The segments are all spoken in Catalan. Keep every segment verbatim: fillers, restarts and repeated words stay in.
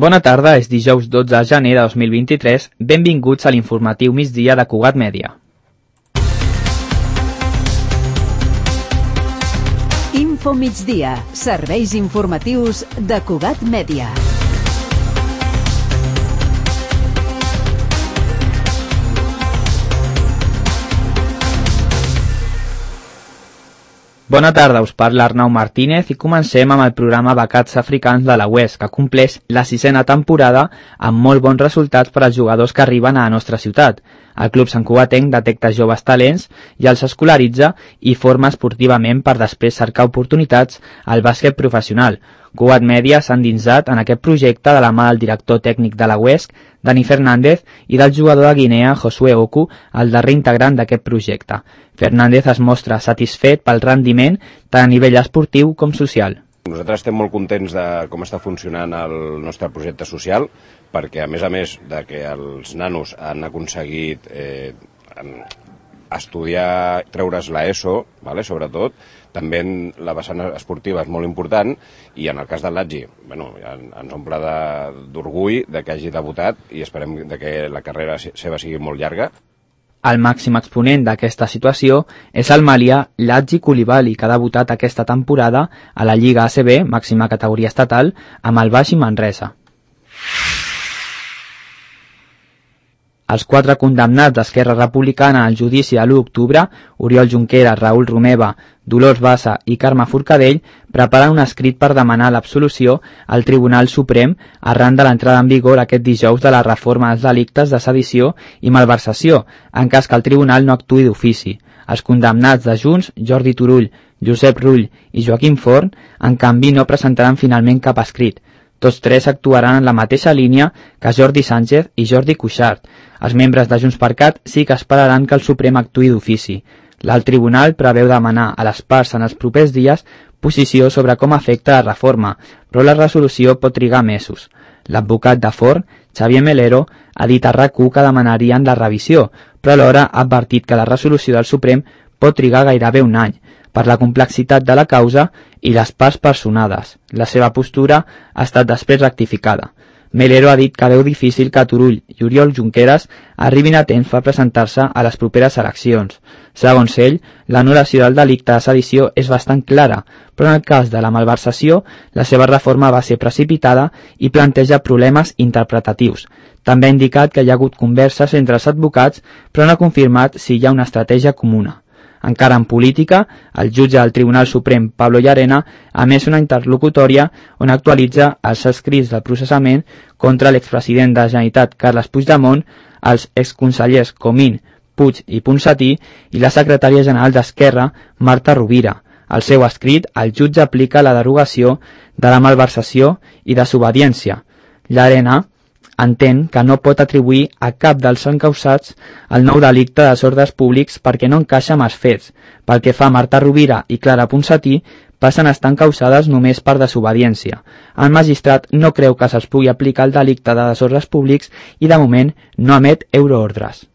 Bona tarda, és dijous dotze de gener de dos mil vint-i-tres. Benvinguts a l'informatiu migdia de Cugat Mèdia. Info migdia, serveis informatius de Cugat Mèdia. Bona tarda, us parla Arnau Martínez i comencem amb el programa Becats Africans de la U E S, que compleix la sisena temporada amb molt bons resultats per als jugadors que arriben a la nostra ciutat. El Club Sant Cugatenc detecta joves talents i els escolaritza i forma esportivament per després cercar oportunitats al bàsquet professional. Cugat Mèdia s'ha endinsat en aquest projecte de la mà del director tècnic de la U E S, Dani Fernández, i del jugador de Guinea, Josué Oku, el darrer integrant d'aquest projecte. Fernández es mostra satisfet pel rendiment tant a nivell esportiu com social. Nosaltres estem molt contents de com està funcionant el nostre projecte social, perquè a més a més de que els nanos han aconseguit eh, estudiar, treure's l'ESO, vale, sobretot, també la vessant esportiva és molt important, i en el cas del Latgi, bueno, ens omple d'orgull de que hagi debutat i esperem de que la carrera seva sigui molt llarga. El màxim exponent d'aquesta situació és el malià Latgi Coulibaly, que ha debutat aquesta temporada a la Lliga A C B, màxima categoria estatal, amb el Baxi Manresa. Els quatre condemnats d'Esquerra Republicana al judici de l'u d'octubre, Oriol Junqueras, Raül Romeva, Dolors Bassa i Carme Forcadell, preparen un escrit per demanar l'absolució al Tribunal Suprem arran de l'entrada en vigor aquest dijous de la reforma dels delictes de sedició i malversació, en cas que el Tribunal no actuï d'ofici. Els condemnats de Junts, Jordi Turull, Josep Rull i Joaquim Forn, en canvi no presentaran finalment cap escrit. Tots tres actuaran en la mateixa línia que Jordi Sánchez i Jordi Cuixart. Els membres de JxCat sí que esperaran que el Suprem actuï d'ofici. L'alt tribunal preveu demanar a les parts en els propers dies posició sobre com afecta la reforma, però la resolució pot trigar mesos. L'advocat de Forn, Xavier Melero, ha dit a RAC u que demanarien la revisió, però alhora ha advertit que la resolució del Suprem pot trigar gairebé un any, per la complexitat de la causa i les parts personades. La seva postura ha estat després rectificada. Melero ha dit que veu difícil que Turull i Oriol Junqueras arribin a temps per presentar-se a les properes eleccions. Segons ell, l'anul·lació del delicte de sedició és bastant clara, però en el cas de la malversació, la seva reforma va ser precipitada i planteja problemes interpretatius. També ha indicat que hi ha hagut converses entre els advocats, però no ha confirmat si hi ha una estratègia comuna. Encara en política, el jutge del Tribunal Suprem, Pablo Llarena, ha emès una interlocutòria on actualitza els escrits del processament contra l'expresident de la Generalitat, Carles Puigdemont, els exconsellers Comín, Puig i Ponsatí i la secretària general d'Esquerra, Marta Rovira. Al seu escrit, el jutge aplica la derogació de la malversació i desobediència. Llarena entén que no pot atribuir a cap dels encausats el nou delicte de desordres públics perquè no encaixa amb els fets. Pel que fa a Marta Rovira i Clara Ponsatí, passen a estar encausades només per desobediència. El magistrat no creu que se'ls pugui aplicar el delicte de desordres públics i de moment no emet euroordres.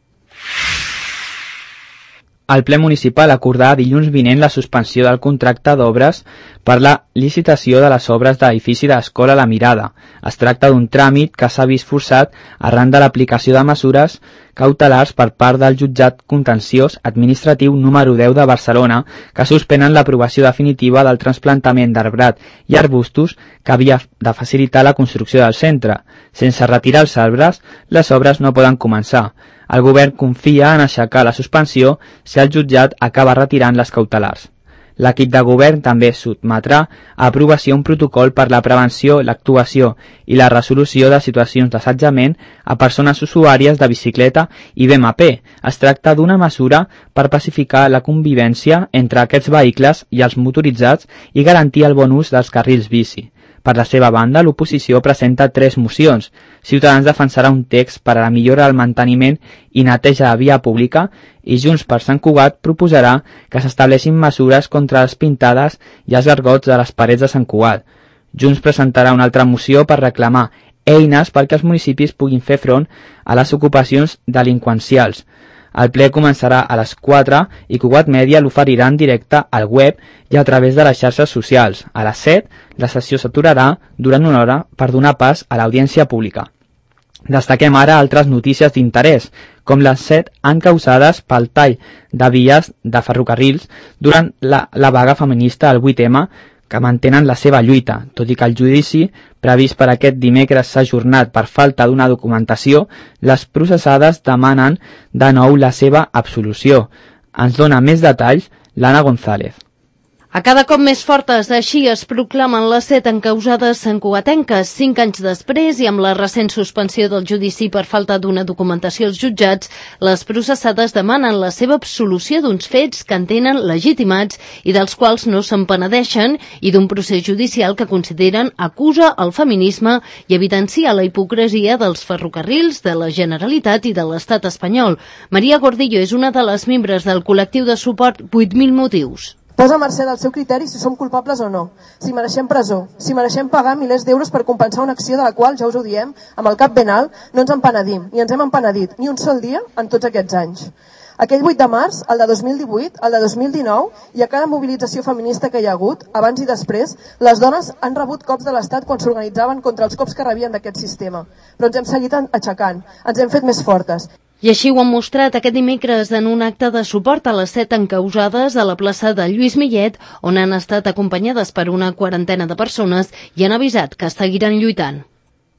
El ple municipal acordarà dilluns vinent la suspensió del contracte d'obres per la licitació de les obres de l'edifici de l'Escola La Mirada. Es tracta d'un tràmit que s'ha vist forçat arran de l'aplicació de mesures cautelars per part del jutjat contenciós administratiu número deu de Barcelona, que suspenen l'aprovació definitiva del trasplantament d'arbrat i arbustos que havia de facilitar la construcció del centre. Sense retirar els arbres, les obres no poden començar. El govern confia en aixecar la suspensió si el jutjat acaba retirant les cautelars. L'equip de govern també sotmetrà a aprovació un protocol per la prevenció, l'actuació i la resolució de situacions d'assetjament a persones usuàries de bicicleta i B M P. Es tracta d'una mesura per pacificar la convivència entre aquests vehicles i els motoritzats i garantir el bon ús dels carrils bici. Per la seva banda, l'oposició presenta tres mocions. Ciutadans defensarà un text per a la millora del manteniment i neteja de via pública i Junts per Sant Cugat proposarà que s'estableixin mesures contra les pintades i els gargots de les parets de Sant Cugat. Junts presentarà una altra moció per reclamar eines perquè els municipis puguin fer front a les ocupacions delinqüencials. El ple començarà a les quatre i Cugat Mèdia l'oferirà en directe al web i a través de les xarxes socials. A les set, la sessió s'aturarà durant una hora per donar pas a l'audiència pública. Destaquem ara altres notícies d'interès, com les set encausades pel tall de vies de ferrocarrils durant la, la vaga feminista al vuit eme, que mantenen la seva lluita, tot i que el judici previst per aquest dimecres s'ha ajornat per falta d'una documentació, les processades demanen de nou la seva absolució. Ens dona més detalls l'Anna González. A cada cop més fortes, així es proclamen les set encausades santcugatenques. Cinc anys després i amb la recent suspensió del judici per falta d'una documentació als jutjats, les processades demanen la seva absolució d'uns fets que entenen legitimats i dels quals no se'n penedeixen i d'un procés judicial que consideren acusa el feminisme i evidencia la hipocresia dels ferrocarrils, de la Generalitat i de l'Estat espanyol. Maria Gordillo és una de les membres del col·lectiu de suport vuit mil motius. Posa a mercè del seu criteri si som culpables o no, si mereixem presó, si mereixem pagar milers d'euros per compensar una acció de la qual, ja us ho diem, amb el cap ben alt, no ens empenedim, ni ens hem empenedit, ni un sol dia en tots aquests anys. Aquell vuit de març, el de dos mil divuit, el de dos mil dinou, i a cada mobilització feminista que hi ha hagut, abans i després, les dones han rebut cops de l'Estat quan s'organitzaven contra els cops que rebien d'aquest sistema. Però ens hem seguit aixecant, ens hem fet més fortes. I així ho han mostrat aquest dimecres en un acte de suport a les set encausades a la plaça de Lluís Millet, on han estat acompanyades per una quarantena de persones i han avisat que seguiran lluitant.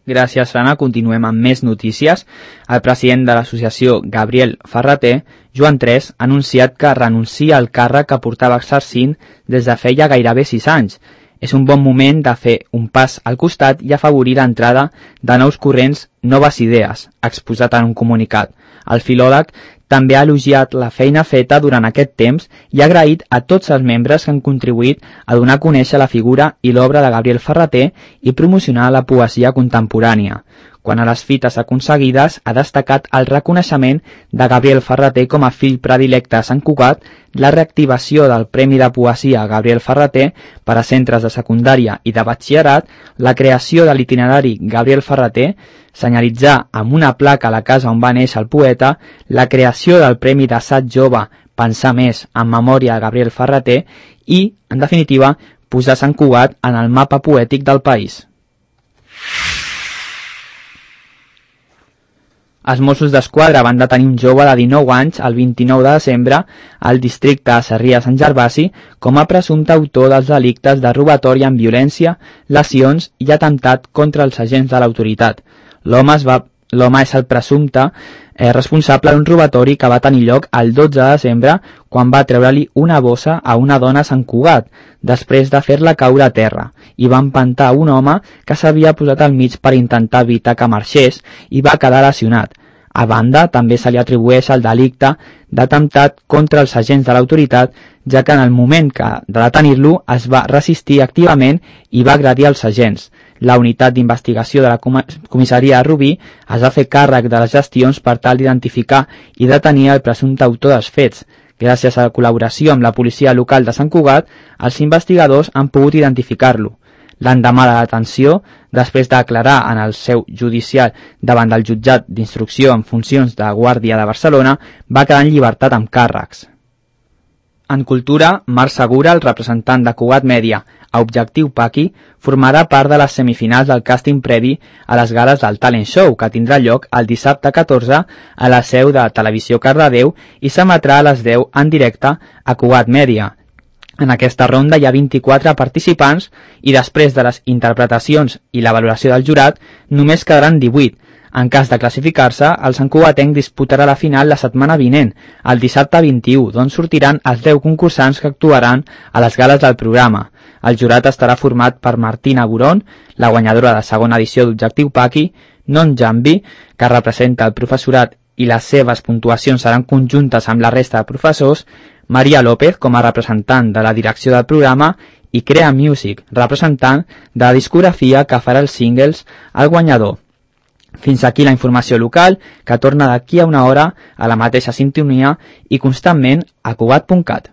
Gràcies, Anna. Continuem amb més notícies. El president de l'associació, Gabriel Ferrater, Joan Tres, ha anunciat que renuncia al càrrec que portava exercint des de feia gairebé sis anys. És un bon moment de fer un pas al costat i afavorir l'entrada de nous corrents, noves idees, ha exposat en un comunicat. El filòleg també ha elogiat la feina feta durant aquest temps i ha agraït a tots els membres que han contribuït a donar a conèixer la figura i l'obra de Gabriel Ferrater i promocionar la poesia contemporània. Quant a les fites aconseguides, ha destacat el reconeixement de Gabriel Ferrater com a fill predilecte a Sant Cugat, la reactivació del Premi de Poesia Gabriel Ferrater per a centres de secundària i de batxillerat, la creació de l'itinerari Gabriel Ferrater, senyalitzar amb una placa a la casa on va néixer el poeta, la creació del Premi d'Assaig Jove Pensar Més en memòria de Gabriel Ferrater i, en definitiva, posar Sant Cugat en el mapa poètic del país. Els Mossos d'Esquadra van detenir un jove de dinou anys el vint-i-nou de desembre al districte de Sarrià-Sant Gervasi com a presumpte autor dels delictes de robatori amb violència, lesions i atemptat contra els agents de l'autoritat. L'home es va L'home és el presumpte eh, responsable d'un robatori que va tenir lloc el dotze de desembre quan va treure-li una bossa a una dona a Sant Cugat, després de fer-la caure a terra, i va empantar un home que s'havia posat al mig per intentar evitar que marxés i va quedar lesionat. A banda, també se li atribueix el delicte d'atemptat contra els agents de l'autoritat, ja que en el moment que de detenir-lo es va resistir activament i va agredir els agents. La unitat d'investigació de la comissaria de Rubí es va fer càrrec de les gestions per tal d'identificar i detenir el presumpte autor dels fets. Gràcies a la col·laboració amb la policia local de Sant Cugat, els investigadors han pogut identificar-lo. L'endemà de la detenció, després de declarar en el seu judicial davant del jutjat d'instrucció en funcions de guàrdia de Barcelona, va quedar en llibertat amb càrrecs. En cultura, Marc Segura, el representant de Cugat Mèdia a Objectiu Paqui, formarà part de les semifinals del càsting previ a les gales del Talent Show, que tindrà lloc el dissabte catorze a la seu de Televisió Cardedeu i s'emetrà a les deu en directe a Cugat Mèdia. En aquesta ronda hi ha vint-i-quatre participants i després de les interpretacions i la valoració del jurat només quedaran divuit. En cas de classificar-se, el santcugatenc disputarà la final la setmana vinent, el dissabte vint-i-u, d'on sortiran els deu concursants que actuaran a les gales del programa. El jurat estarà format per Martina Boron, la guanyadora de segona edició d'Objectiu Paqui, Non Jambi, que representa el professorat i les seves puntuacions seran conjuntes amb la resta de professors, Maria López, com a representant de la direcció del programa, i Crea Music, representant de la discografia que farà els singles al guanyador. Fins aquí la informació local, que torna d'aquí a una hora a la mateixa sintonia i constantment a Cugat punt cat.